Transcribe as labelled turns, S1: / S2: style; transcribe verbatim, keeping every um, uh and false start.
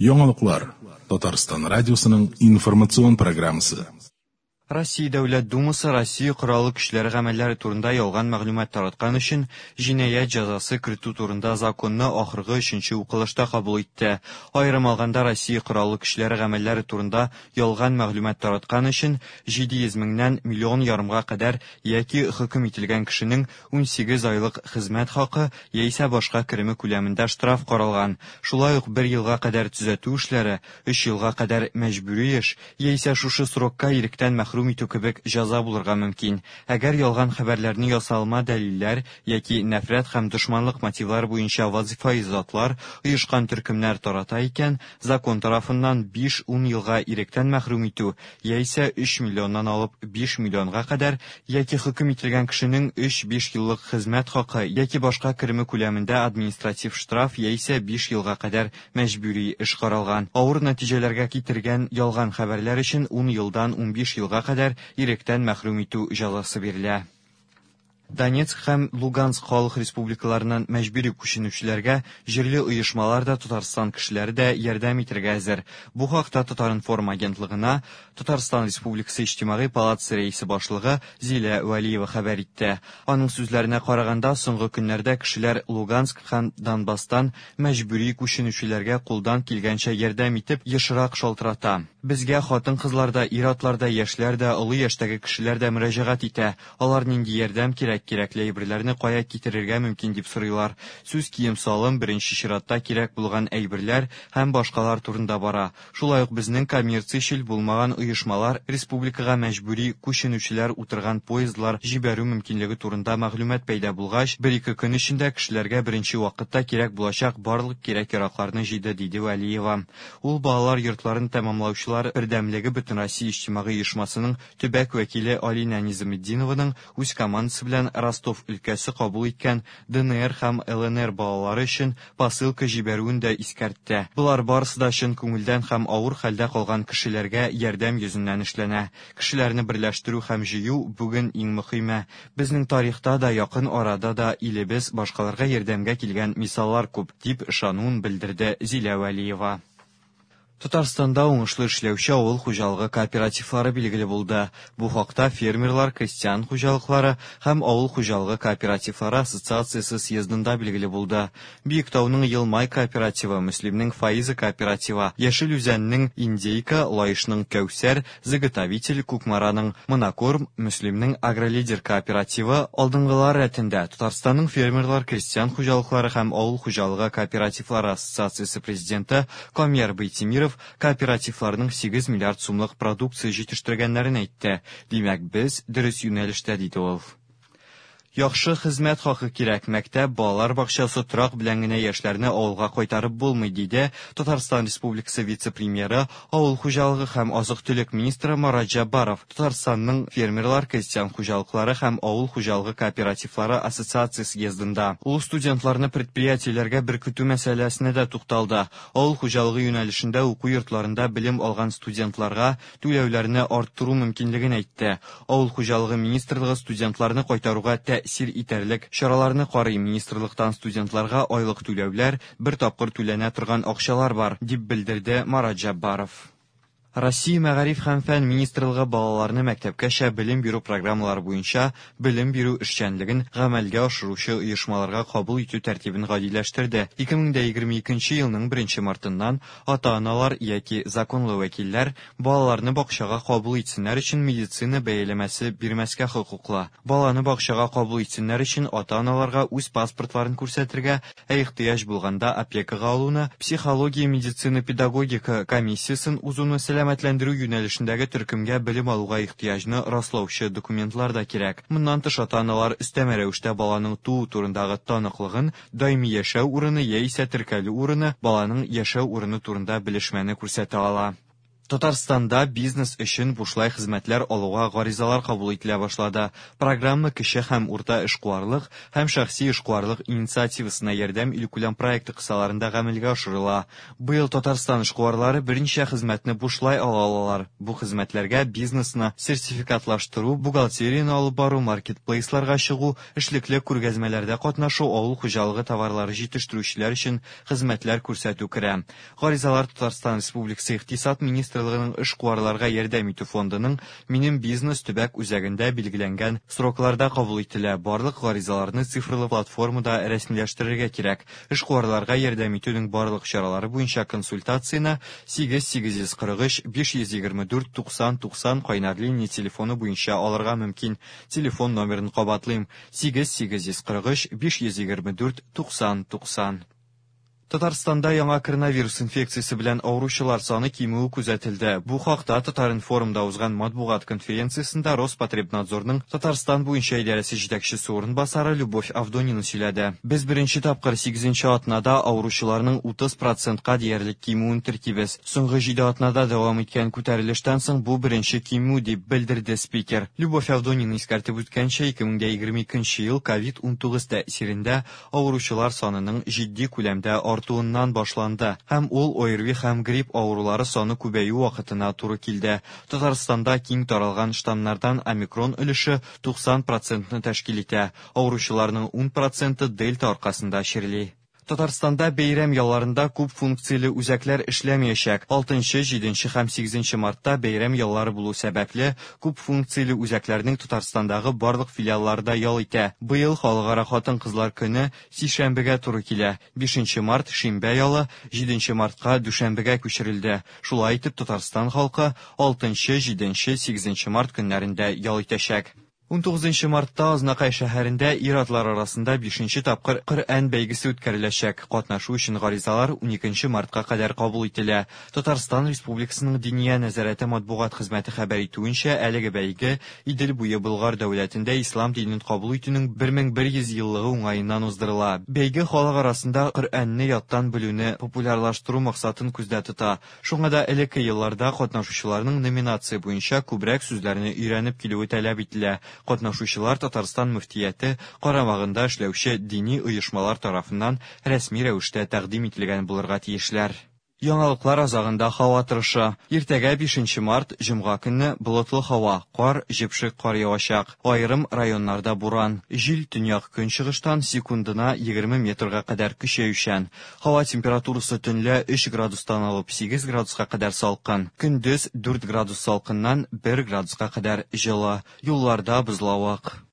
S1: Яңалыклар. Татарстан радиосының информацион программасы.
S2: Россия Дәүләт Думасы Россия Кораллы Көчләре гамәлләре турында ялган мәгълүмат тараткан өчен җинаять җәзасы кертү турында законны ахыргы өченче укылышта кабул итте. Аерым алганда, Россия Кораллы Көчләре гамәлләре турында ялган мәгълүмат тараткан өчен җиде йөз меңнән миллион ярымга кадәр яки хөкем ителгән кешенең унсигез айлык хезмәт хакы яисә башка кереме күләмендә штраф каралган. Шулай ук бер елга кадәр төзәтү эшләре, өч елга кадәр мәҗбүри эш яисә шушы срокка иректән мәхрүм итү кебек җәза булырга мөмкин. Әгәр ялган хәбәрләрне ясалма дәлилләр яки нәфрәт һәм дошманлык мотивлары буенча вазифаи затлар, оешкан төркемнәр тарата икән, закон тарафыннан биш-ун елга иректән мәхрүм итү яисә өч миллионнан алып биш миллионга кадәр яки хөкем ителгән кешенең өч-биш еллык хезмәт хакы яки башка кереме күләмендә административ штраф яисә биш елга кадәр мәҗбүри эш каралган. Авыр нәтиҗәләргә китергән ялган хәбәрләр өчен ун елдан унбиш елга кадәр иректән мәхрүм итү җәзасы бирелә. Донецк һәм Луганск халык республикаларыннан мәҗбүри күченүчеләргә җирле оешмалар да, Татарстан кешеләре дә ярдәм итәргә әзер. Бу хакта Татар-информ агентлыгына Татарстан Республикасы Иҗтимагый палатасы рәисе башлыгы Зилә Вәлиева хәбәр итте. Аның сүзләренә караганда, соңгы көннәрдә кешеләр Луганск һәм Донбасстан мәҗбүри күченүчеләргә кулдан килгәнчә ярдәм итеп ешрак шалтырата. Безгә хатын-кызлар да, ир-атлар да, яшьләр дә, олы яшьтәге кешеләр дә мөрәҗәгать итә. Алар нинди ярдәм кирәк, кирәкле әйберләрне кая китерергә мөмкин дип сорыйлар. Сүз кием-салым, беренче чиратта кирәк булган әйберләр һәм башкалар турында бара. Шулай ук безнең коммерциячел булмаган оешмалар республикага мәҗбүри күченүчеләр утырган поездлар җибәрү мөмкинлеге турында мәгълүмат пәйда булгач, бер-ике көн эчендә кешеләргә беренче вакытта кирәк булачак барлык кирәк-яракларны җыйды, диде Вәлиева. Ул балалар йортларын тәмамлаучылар бердәмлеге Бөтенроссия иҗтимагый оешмасының төбәк вәкиле Алина Низаметдинованың үз командасы белән Ростов өлкәсе кабул иткән Д Н Р һәм Л Н Р балалары өчен посылка җибәрүен дә искәртте. Болар барысы да чын күңелдән һәм авыр хәлдә калган кешеләргә ярдәм йөзеннән эшләнә. Кешеләрне берләштерү һәм җыю бүген иң мөһиме. Безнең тарихта да, якын арада да илебез башкаларга ярдәмгә килгән мисаллар күп, дип ышануын белдерде Зилә Вәлиева. Татарстанда уңышлы эшләүче авыл хуҗалыгы кооперативлары билгеле булды. Бу хакта фермерлар, крестьян хуҗалыклары һәм авыл хуҗалыгы кооперативлары ассоциациясе съездында билгеле булды. Биектауның Елмай кооперативы, Мөслимнең Фаиза кооперативы, Яшел Үзәннең Индейка, Лаешның Кәүсәр, Заготовитель, Кукмараның Монокорм, Мөслимнең Агролидер кооперативы алдынгылар рәтендә. Татарстанның фермерлар, крестьян хуҗалыклары һәм авыл хуҗалыгы кооперативлары ассоциациясе президенты Камияр Байтимиров кооперативларның сигез миллиард сумлык продукция җитештергәннәрен әйтте. Димәк, без дөрес юнәлештә, диде ул. Яхшы хезмәт хакы кирәк, мәктәп, балалар бакчасы, торак белән генә яшьләрне авылга кайтарып булмый, диде Татарстан Республикасы вице-премьеры, авыл хуҗалыгы һәм азык-төлек министры Марат Җәббаров Татарстанның фермерлар, крестьян хуҗалыклары һәм авыл хуҗалыгы кооперативлары ассоциациясе съездында. Ул студентларны предприятиеләргә беркетү мәсьәләсенә дә тукталды. Авыл хуҗалыгы юнәлешендә уку йортларында белем алган студентларга түләүләрне арттыру мөмкинлеген әйтте. Авыл хуҗалыгы министрлыгы студентларны кайтаруга тәэсир итәрлек чараларны карый. Министрлыктан студентларга айлык түләүләр, бер тапкыр түләнә торган акчалар бар, дип белдерде Марат Җәббаров. Россия Мәгариф һәм фән министрлыгы балаларны мәктәпкәчә белем бирү программалары буенча белем бирү эшчәнлеген гамәлгә ашыручы оешмаларга кабул итү тәртибен гадиләштерде. Ике мең дә егерме икенче елның беренче мартыннан ата-аналар яки законлы вәкилләр балаларны бакчага кабул итсеннәр өчен медицина бәяләмәсе бирмәскә хокуклы. Баланы бакчага кабул итсеннәр өчен ата-аналарга үз паспортларын күрсәтергә, ә ихтыяҗ булганда опекага алуны, психология, медицина, педагогика комиссиясен узуны, сәламәтләндерү юнәлешендәге төркемгә белем алуга ихтыяҗны раслаучы документлар да кирәк. Моннан тыш ата-аналар өстәмә рәвештә баланың туу турындагы таныклыгын, даими яшәү урыны яисә теркәлү урыны, баланың яшәү урыны турында белешмәне күрсәтә ала. Татарстанда бизнес өчен бушлай хезмәтләр алуга гаризалар кабул ителә башлады. Программа кече һәм урта эшкуарлык һәм шәхси эшкуарлык инициативасына ярдәм илкүләм проекты кысаларында гамәлгә ашырыла. Быел Татарстан эшкуарлары берничә хезмәтне бушлай ала алалар. Бу хезмәтләргә бизнесны сертификатлаштыру, бухгалтерияне алып бару, маркетплейсларга чыгу, эшлекле күргәзмәләрдә катнашу, авыл хуҗалыгы товарлары җитештерүчеләр өчен хезмәтләр күрсәтү керә. Гаризалар Татарстан Республикасы Икътисад министрлыгының эшкуарларга ярдәм итү фондының Минем бизнес төбәк үзәгендә билгеләнгән срокларда кабул ителә. Барлык гаризаларны цифрлы платформада рәсмиләштерергә кирәк. Эшкуарларга ярдәм итүнең барлык чаралары буенча консультацияне сигез сигез йөз кырык өч биш йөз егерме дүрт туксан туксан кайнар линия телефоны буенча алырга мөмкин. Телефон номерын кабатлыйм: сигез сигез йөз кырык өч биш йөз егерме дүрт туксан туксан. Татарстанда яңа коронавирус инфекциясе белән авыручылар саны кимүе күзәтелде. Бу хакта Татар-информда узган матбугат конференциясендә Роспотребнадзорның Татарстан буенча идарәсе җитәкчесе урынбасары Любовь Авдонина сөйләде. Без беренче тапкыр сигезенче атнада авыручыларның утыз процентка диярлек кимүен теркибез. Соңгы җиде атнада дәвам иткән күтәрелештән соң бу беренче кимү дип белдерде спикер. Любовь Авдонина искәртеп үткәнчә, ике мең дә егерме икенче ел ковид унтугыз тәэсирендә авыручылар санының җитди күләмдә артуыннан башланды һәм ул ОРВИ һәм грипп авырулары саны күбәю вакытына туры килде. Татарстанда киң таралган штаммнардан омикрон өлеше туксан процентны тәшкил итә. Авыручыларның ун проценты дельта аркасында чирли. Татарстанда бәйрәм ялларында күп функцияле үзәкләр эшләмәячәк. Алтынчы, җиденче һәм сигезенче мартта бәйрәм яллары булу сәбәпле, күп функцияле үзәкләрнең Татарстандагы барлык филиаллары да ял итә. Быел Халыкара хатын-кызлар көне сишәмбегә туры килә. Бишенче март шимбә ялы, җиденче мартка дүшәмбегә күчерелде. Шулай итеп Татарстан халкы алтынчы, җиденче, сигезенче март көннәрендә ял итәчәк. Унтугызынчы мартта Азнакай шәһәрендә ир-атлар арасында бишенче тапкыр Коръән бәйгесе үткәреләчәк. Катнашу өчен гаризалар уникенче мартка кадәр кабул ителә. Татарстан Республикасының Диния нәзарәте матбугат хезмәте хәбәр итүенчә, әлеге бәйге Идел буе Болгар дәүләтендә ислам динен кабул итүнең бер мең бер йөз еллыгы уңаеннан уздырыла. Бәйге халык арасында Коръәнне яттан белүне популярлаштыру максатын күздә тота. Шуңа да элекке елларда катнашучыларның номинация буенча күбрәк сүзләрне өйрәнеп килүе таләп ителә. Катнашучылар Татарстан мөфтияте карамагында эшләүче дини оешмалар тарафыннан рәсми рәвештә тәкъдим ителгән булырга тиешләр. Яңалыклар азагында һава торышы. Иртәгә бишенче март, җомга көнне болытлы һава, кар, җепшек кар явачак. Аерым районнарда буран. Җил төньяк көнчыгыштан секундына егерме метрга кадәр көчәючән. Һава температурасы төнлә өч градустан алып сигез градуска кадәр салкын. Көндез дүрт градус салкыннан бер градуска кадәр җылы. Юлларда бозлавык.